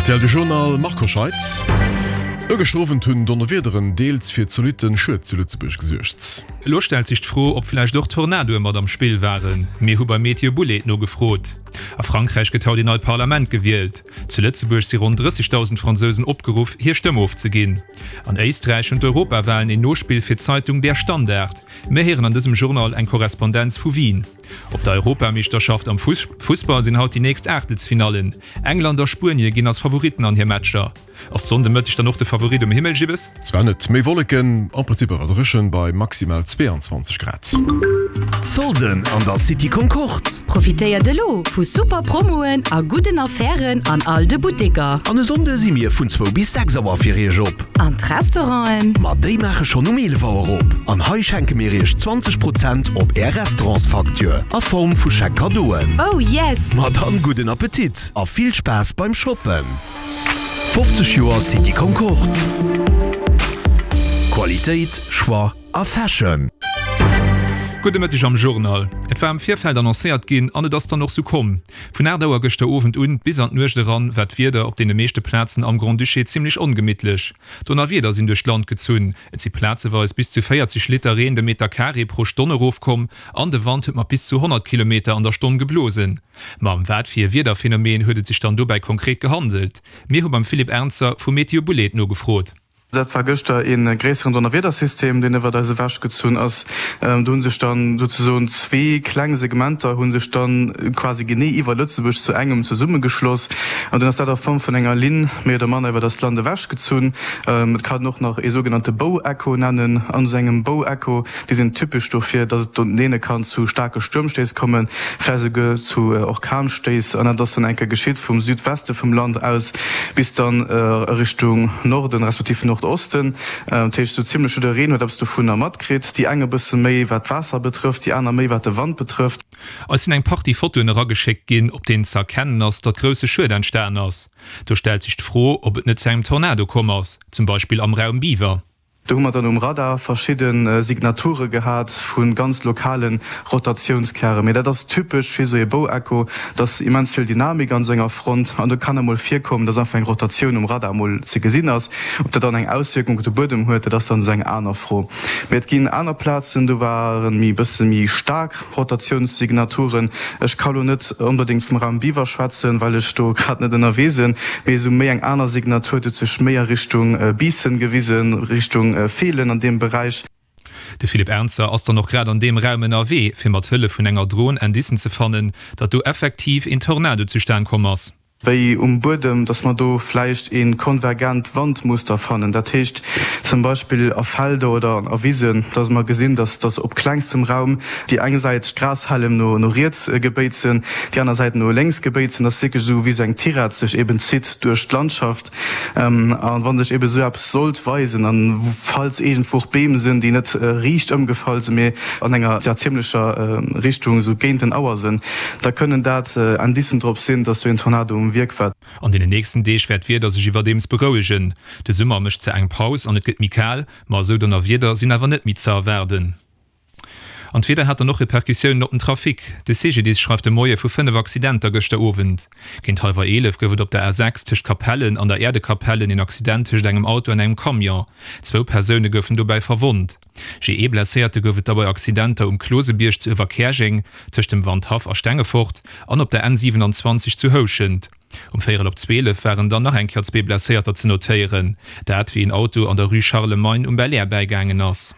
Rtl de Journal Marco Scheitz. E gëschter Owend hunn Donnerwiederen deels fir zolitte Schued zu Lëtzebuerg gesuergt. Elo stellt sech d'Fro, ob vläicht och Tornadoe mat am Spill waren. Mir hu bei Meteo Bullet nogefrot. A Frankräich gëtt haut een neit Parlament gewielt. Zu Lëtzebuerg si ronn 30.000 Fransousen opgeruff, hir Stëmm ofzeginn. An Éisträich hunn d'Europawalen een Nospill fir d'Zeitung Der Standard. Mir héieren an dësem Journal eng Korrespondenz vu Wien. Op der Europameeschterschaft am Fussball sinn haut déi nächst Aachtelsfinallen. England a Spuenie ginn als Favoritten an hir Matcher. Ass d'Sonn de Mëtteg dann och de Favorit um Himmel, Gibbes? Zwar net méi Wolleken, am Prinzip awer dréchen bei maximal 22 Grad. Solden an der City Concorde! Profitéiert elo vu super Promoen a gudden Affären an all de Butteker. An e Sonnde si mir vun zwou bis 6 Auer fir iech op. An d'Restauranten? Ma déi maache schonn um 11 Auer op. An hei schenke mir iech 20 Prozent op är Restaurantsfacture a Form vu Chèque Cadeauen. Oh yes! Ma dann gudden Appetit a vill Spaass beim Shoppen! 50 Joer City Concorde. Qualitéit, Choix a Fashion. Gudde Mëtteg am Journal. Et war am Virfeld annoncéiert ginn an et ass dann och sou komm. Vun 8 Auer gëschter Owend un bis an d'Nuecht eran war d'Wieder op deene meeschte Plazen am Grand-Duché zimmlech ongemittlech. Donnerwieder sinn duerch d'Land gezunn, et si plazeweis bis zu 40 Liter Reen de Meter Carré pro Stonn erofkomm an de Wand huet mat bis zu 100 Kilometer an der Stonn geblosen. Ma ëm wat fir e Wiederphenomen huet et sech dann dobäi konkret gehandelt? Mir hu beim Philippe Ernzer vu Meteo Bullet nogefrot. Dat war gëschter ee gréisseren Donnerwiedersystem, deen iwwert eis ewechgezunn ass. Do hu sech dann souzesoen zwee kleng Segmenter hu sech dann quasi genee iwwer Lëtzebuerg zu engem zesummegeschloss an dunn ass dat a Form vun enger Linn méi oder manner iwwer eist Land ewechgezunn. Et kann een och nach ee sougenannte Bow-Echo nennen. An esou engem Bow-Echo Déi sinn typesch dofir, dass et doneene kann zu staarke Stuermstéiss kommen, vläicht esouguer zu Orkanstéiss. An dat ass dann eng Kéier geschitt vum Südweste vum Land aus bis dann a Richtung Norden respektiv Nordosten. Dat heescht, esou zimmlech jiddereen huet eppes dovunner matkritt, déi eng e bësse méi wat d'Waasser betrëfft, déi aner méi wat de Wand betrëfft. Eis sinn eng Partie Fotoen erageschéckt ginn, op deenen ze erkennen ass, datt grousse Schued entstan ass. Do stellt sech d'Fro, ob et net zu engem Tornado komm ass, zum Beispill am Raum Biwer. Do hu mer dann um Radar verschidde Signature gehat vu ganz lokale Rotatiounskären. Mee dat ass typesch fir esou ee Bow-Echo, dass immens vill Dynamik an esou enger Front an do kann emol virkommen, dass einfach eng Rotatioun um Radar emol ze gesinn ass. Ob dat dann eng Auswierkung op de Buedem huet, dat ass dann esou eng aner Fro. Mee et ginn aner Plazen, do ware méi e bësse méi staark. Rotatiounssignaturen. Ech ka lo net onbedéngt vum Raum Biwer schwätzen, well ech do grad net ënnerwee sinn, mee esou méi eng aner Signatur, déi huet sech méi a Richtung Biissen gewisen, Richtung Feelen an deem Beräich. De Philippe Ernzer ass dann och grad an deem Raum ënnerwee, fir mat Hëllef vun enger Dron Indicen ze fannen, datt do effektiv een Tornado zustan komm ass. wéi um Buedem, dass mer do vläicht ee konvergent Wandmuster fannen, dat heescht zum Beispill a Felder oder a Wisen, dass mer gesinn, dass dass op klengstem Raum déi eng Säit d'Grashällem no no riets gebéit sinn, déi aner Säit no lénks gebéit sinn, dass wierklech esou wéi esou eng Tirett sech eben zitt duerch d'Landschaft. A wa sech eben esou eppes sollt weisen, a falls iergendwou och Beem sinn, déi net riicht ëmgefall sinn, mee an enger zimmlecher Richtung esou géint den Auer sinn, da kënnen dat Indicen drop sinn, dass do een Tornado um Wierk war. An deenen nächsten Deeg wäert d'Wieder sech iwwerdeems berouegen. De Summer mécht zwar eng Paus an et gëtt méi kal, ma esou Donnerwieder sinn awer net méi ze erwaarden. An d'Wieder hat dann och Repercussiounen op den Trafic. De CGDIS schreift de Moie vu 5 Accidenter gëschter Owend. Géint hallwer 11 gouf et op der A6 tëscht Capellen an der Äerdekapellen een Accident tëscht engem Auto an engem Camion. Zwou Persoune goufen dobäi verwonnt. Jee ee Blesséierte gouf et da bei Accidenter um Klosebierg zu Uewerkäerjeng, tëscht dem Wandhaff a Stengefort an op der N 27 zu Houschent. Um véierel op 12 waren dann nach eng Kéier zwee Blesséierter ze notéieren, dat wéi een Auto an der Rue Charlemagne um Belair bäigaangen ass.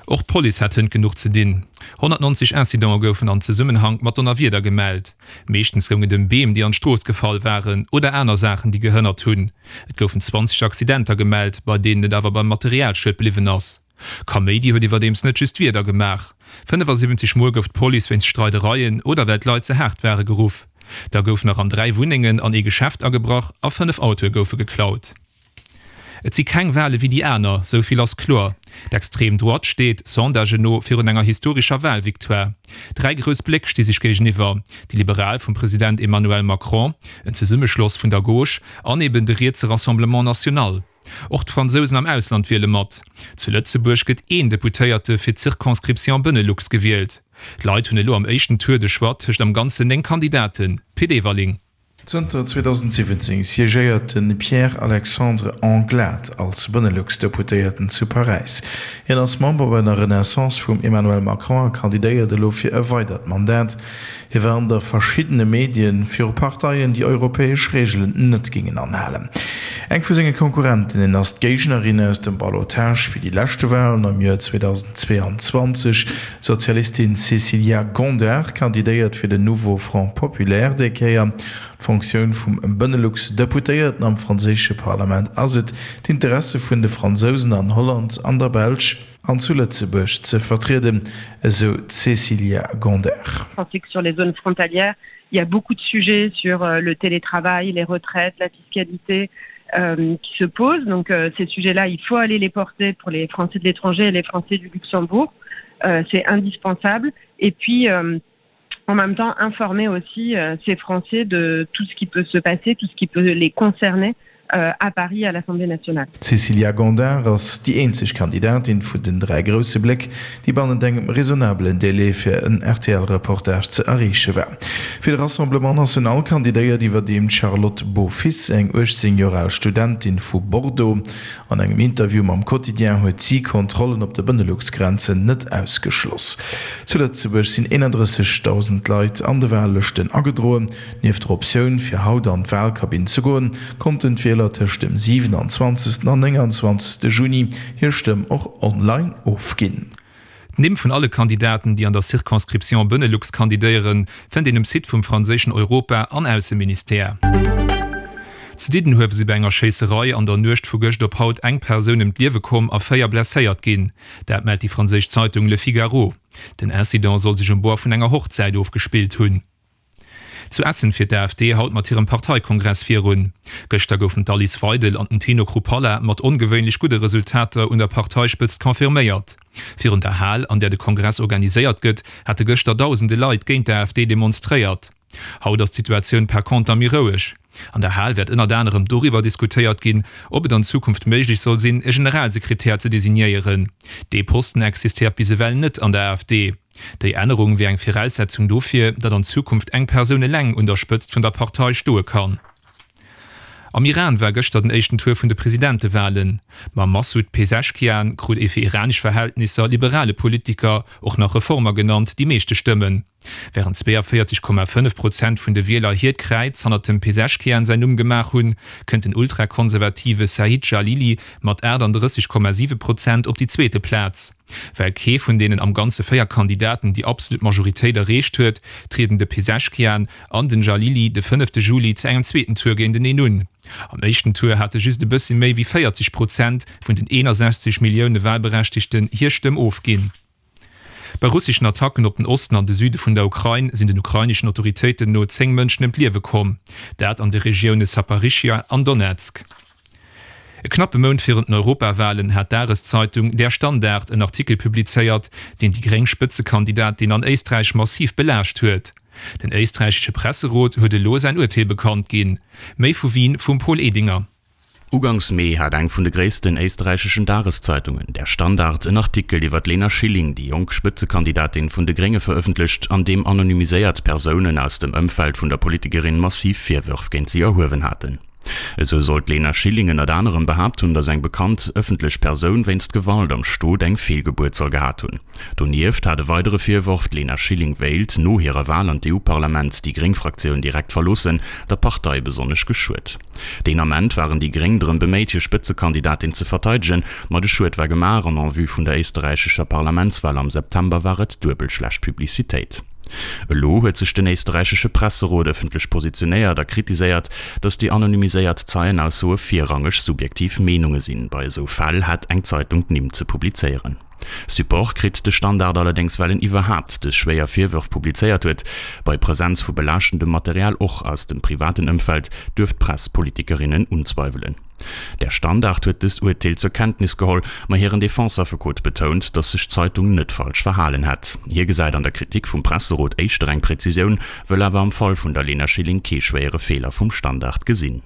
Och d'Police hat hënt genuch ze dinn. 190 Incidente goufen an Zesummenhank mat Donnerwieder gemellt. Meeschtens goung et ëm Beem, déi an d'Strooss gefall waren oder aner Saachen, déi gehënnert hunn. Et goufen 20 Accidenter gemellt, bei deenen et awer beim Materialschued bliwwen ass. Kaméidi huet iwwerdeems net just d'Wieder gemaach. 75 Mol gouf d'Police wéinst Streidereien oder well d'Leit ze haart ware geruff. Da gouf nach an 3 Wunnengen an ee Geschäft agebrach a 5 Autoe goufe geklaut. Et si keng Wale wéi déi aner, sou vill ass kloer. D'Extreme Droite steet, Sondagen no, virun enger historescher Walvictoire. Dräi grouss Bléck sti sech géigeniwwer, déi Liberal vum President Emmanuel Macron, en Zesummeschloss vun der Gauche an eben de rietse Rassemblement National. Och d'Fransousen am Ausland wiele mat. Zu Lëtzebuerg gëtt een Deputéierte fir d'Circonscription Benelux gewielt. D'Leit hunn elo am éischten Tour de Choix tëscht am Ganzen 9 Kandidaten. Pit Everling. Zënter 2017 siégéiert de Pierre-Alexandre Anglade als Benelux-Deputéierten zu Paräis. Hien ass Member bei der Renaissance vum Emmanuel Macron a kandidéiert elo fir e weidert Mandat. Hie warnt a verschiddene Medien viru Parteien, déi europäesch Reegelen net géingen anhalen. Eng vu senge Konkurrentinnen ass d'Géignerin aus dem Ballotage fir déi leschte Walen am Joer 2022, D'Sozialistin Cécilia Gondard kandidéiert fir den Nouveau Front Populaire déi Kéier. D'Fonctioun vum Benelux-Deputéierten am franséische Parlament ass et, d'Interesse vun de Fransousen an Holland, an der Belsch an zu Lëtzebuerg ze vertrieden, esou d'Cécilia Gondard. Pensez que sur les zones frontalières, il y a beaucoup de sujets sur le télétravail, les retraites, la fiscalité euh, qui se posent. Donc euh, ces sujets-là, il faut aller les porter pour les Français de l'étranger et les Français du Luxembourg. Euh, C'est indispensable. Et puis euh, en même temps informer aussi euh, ces Français de tout ce qui peut se passer, tout ce qui peut les concerner euh, à Paris à l'Assemblée nationale. D'Cécilia Gondard ass déi eenzeg Kandidatin vun den 3 grousse Bléck, déi bannent engem raisonnabelen Délai fir en RTL-Reportage ze erreeche war. Fir de Rassemblement National kandidéiert iwwerdeem d'Charlotte Beaufils, eng 18 Joer al Studentin vu Bordeaux. An engem Interview mam Quotidien huet si Kontrollen op de Benelux-Grenzen net ausgeschloss. Zu Lëtzebuerg sinn 31.000 Leit an de Wahllëschten agedroen. Nieft der Optioun, fir haut an d'Wahlkabinn ze goen, konnten d'Wieler tëscht dem 27. an 29. Juni hir Stëmm och online ofginn. D'Nimm vun alle Kandidaten, déi an der Circonscription Benelux kandidéieren, fënnt een um Site vum franséischen Europa an Ausseministère. Zu Diddenhuewe si bei enger Schéisserei an der Nuecht vu gëscht op haut eng Persoun ëm d'Liewe komm a 4 blesséiert ginn. Dat mellt déi franséisch Zeitung Le Figaro. Den Incident soll sech um Bord vun enger Hochzäit ofgespillt hunn. Zu Essen fiert d'AfD haut mat hirem Parteikongress virun. Gëschter goufen d'Alice Weidel an den Tino Chrupalla mat ongewéinlech gudde Resultater un der Parteispëtzt confirméiert. Virun der Hal, an där de Kongress organiséiert gëtt, hate gëschter dausende Leit géint d'AfD demonstréiert. Haut ass d'Situatioun par conter méi roueg. An der Hal wäert ënnert anerem doriwwer diskutéiert ginn, ob et an Zukunft méiglech soll sinn, e Generalsekretär ze designéieren. Dee Posten existéiert bis ewell net an der AfD. Déi Ännerung wier eng Viraussetzung dofir, datt an Zukunft eng Persoun eleng un der Spëtzt vun der Partei stoe kann. Am Iran war gëschter den éischten Tour vun de Presidentewalen. Mam Massoud Peseschkian krut ee fir iranesch Verhältnisser liberale Politiker, och nach Reformer genannt, déi meeschte Stëmmen. Wärend 42,5 Prozent vun de Wieler hiert Kräiz hannert dem Peseschkian säin Numm gemaach hunn, kënnt den ultrakonservative Said Jalili mat 38,7 Prozent op déi zweete Plaz. Well kee vun deenen am Ganze 4 Kandidaten déi absolut Majoritéit erreecht huet, trieden de Peseschkian an den Jalili de fënnefte Juli zu engem zweeten Tour géinteneen un. Am éischten Tour hate just e bëssi méi wéi 40 Prozent vun den 61 Millioune Walberechtegten hir Stëmm ofginn. Bei russeschen Attacken op den Osten an de Süde vun der Ukrain sinn den ukraineschen Autoritéiten no 10 Mënschen ëm d'Liewe komm, dat an de Regioune Saporischschja an Donezk. E knappe Mount virun den Europawalen hat d'Dageszeitung Der Standard en Artikel publizéiert, deen déi gréng Spëtzekandidatin an Éisträich massiv belaascht huet. Den éisträichesche Presserot huet elo säin Urteel bekannt ginn. Méi vu Wien vum Paul Edinger. Ugangs Mee hat eng vun de gréissten éisträicheschen Dageszeitungen, Der Standard, en Artikel iwwer d'Lena Schilling, déi jonk Spëtzekandidatin vun de Grénge verëffentlecht, an deem anonymiséiert Persounen aus dem Ëmfeld vun der Politikerin massiv Virwërf géint si erhuewen haten. Esou soll d'Lena Schilling ënnert anerem behaapt hunn, datt eng bekannt ëffentlech Persoun wéinst Gewalt am Stot eng Feelgebuert soll gehat hunn. Donieft hat e weidere Virworf, d'Lena Schilling wéilt, no hirer Wal an d'EU-Parlament, déi gréng Fraktioun direkt verloossen, der Partei besonnesch geschuet. Deen Ament waren déi gréng drëm beméit, hir Spëtzekandidatin ze verteidegen, ma de Schued war gemaach an en vue vun der éisterräichescher Parlamentswal am September war et duebel schlecht Publicitéit. Elo huet sech den éisterräichesche Presserot ëffentlech positionéiert a kritiséiert, datt déi anonymiséiert Zeienaussoe virrangeg subjektiv Meenunge sinn. Bei esou Fäll hätt eng Zeitung d'Nimm ze publizéieren. Support kritt de Standard allerdéngs, well en iwwerhaapt dës schwéier Virwërf publizéiert huet. Bei Presenz vu belaaschtendem Material, och aus dem privaten Ëmfeld, duerf d'Press Politikerinnen unzweiwelen. Der Standard huet dëst Urteel zur Kenntnis geholl, ma hiren Defense-Affekot betount, datt sech d'Zeitung net falsch verhalen hätt. Hie gesäit an der Kritik vum Presserot éischter eng Präzisioun, wëll awer am Fall vun der Lena Schilling kee schwéiere Feeler vum Standard gesinn.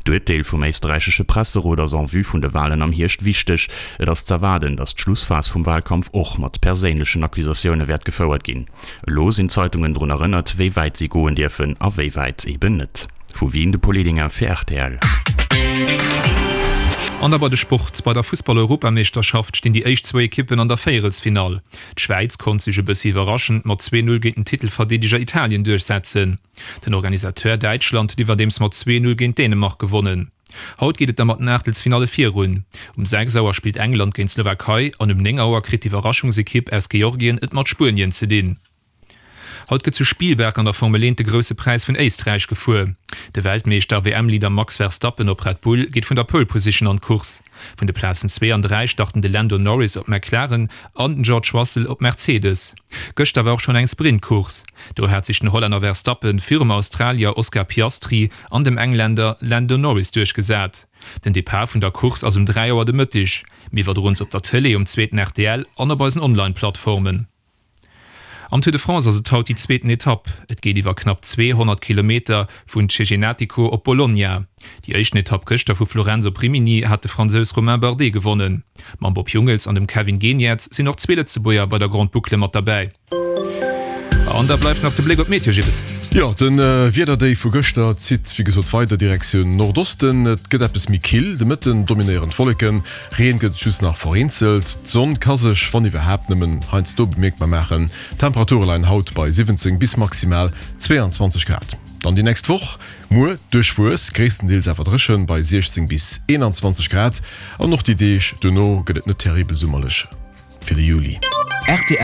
D'Urteel vum éisterräichesche Presserot ass en vue vun de Walen am Hierscht wichteg. Et ass z'erwaarden, datt d'Schlussphas vum Walkampf och mat perséinlechen Accusatioune wäert gefouert ginn. Elo sinn d'Zeitungen drun erënnert, wéi wäit si goen dierfen a wéi wäit eben net. Vu Wien de Paul Edinger fir rtl. An da bei de Sport, Bei der Fussball-Europameeschterschaft stinn déi éischt zwou Ekippen an der Véierelsfinall. D'Schwäiz konnt sech e bëssi iwwerraschend mat 2, 0 géint den Titelverdeedeger Italien duerchsetzen. Den Organisateur Däitschland huet iwwerdeems mat 2, 0 géint Dänemark gewonnen. Haut geet et da mat den Aachtelsfinalle virun. Um 6 Auer spillt England géint d'Slowakei an um 9 Auer kritt d'Iwwerraschungsekipp aus Georgien et mat Spuenien ze dinn. Haut gëtt zu Spielberg an der Formel 1 de Grousse Präis vun Éisträich gefuer. De Weltmeeschter a WM-Leader Max Verstappen op Red Bull geet vun der Pole Position an d'Course. Vun de Plazen 2 an 3 starten de Lando Norris op McLaren an den George Russell op Mercedes. Gëschter war och schonn eng Sprint-Course. Do hat sech den Hollänner Verstappen virum Australier Oscar Piastri an dem Engländer Lando Norris duerchgesat. Den Depart vun der Course ass um 3 Auer de Mëtteg. Mir iwwerdroen se op der Tëlee, um zweeten rtl an op eisen Online-Plattformen. Am Tour de France ass et haut déi zweeten Etapp. Et geet iwwer knapp 200 Kilometer vun Cesenatico op Bologna. Déi éischten Etapp gëschter vu Florenz op Rimini hat de Fransous Romain Bardet gewonnen. Mam Bob Jungels an dem Kevin Geniets sinn och zwee Lëtzebuerger bei der Grande Boucle mat derbäi. An da bleift nach de Bléck op d'Meteo, Gibbes. Jo, de Wiederdéif vu gëschter zitt wéi gesot weider Direktioun Nordosten. Et gëtt eppes méi kill, de Mëtten dominéieren d'Wolleken. Reen gëtt et just nach vereenzelt. D'Sonn ka sech, wann iwwerhaapt, nëmmen heiansdo bemierkbar maachen. D'Temperature leien haut bei 17 bis maximal 22 Grad. Dann déi nächst Woch, muer duerchwuess, gréisstendeels awer dréchen bei 16 bis 21 Grad. An och déi Deeg dono gëtt et net terribel summerlech fir de Juli. Rtl.